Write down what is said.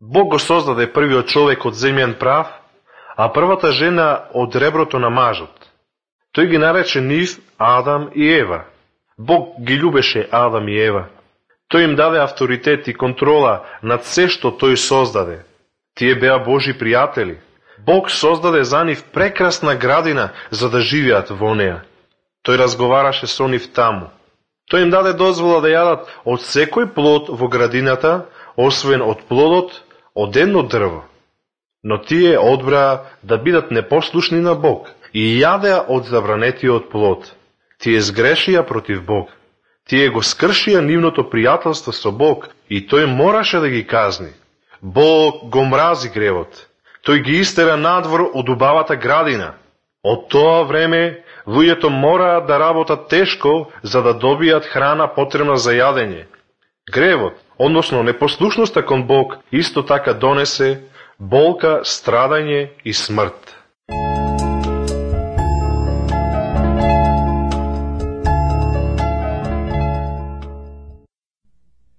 Бог го создаде првиот човек од земјан прав, а првата жена од реброто на мажот. Тој ги нарече нив Адам и Ева. Бог ги љубеше Адам и Ева. Тој им даде авторитет и контрола над се што тој создаде. Тие беа Божи пријатели. Бог создаде за нив прекрасна градина за да живеат во неа. Тој разговараше со нив таму. Тој им даде дозвола да јадат од секој плод во градината, освен од плодот од едно дрво. Но тие одбраа да бидат непослушни на Бог и јадеа од забранетиот плод. Тие сгрешија против Бог. Тие го скршија нивното пријателство со Бог и тој мораше да ги казни. Бог го мрази гревот. Тој ги истера надвор од убавата градина. Од тоа време луѓето мораат да работат тешко за да добијат храна потребна за јадење. Гревот, односно непослушноста кон Бог, исто така донесе болка, страдање и смрт.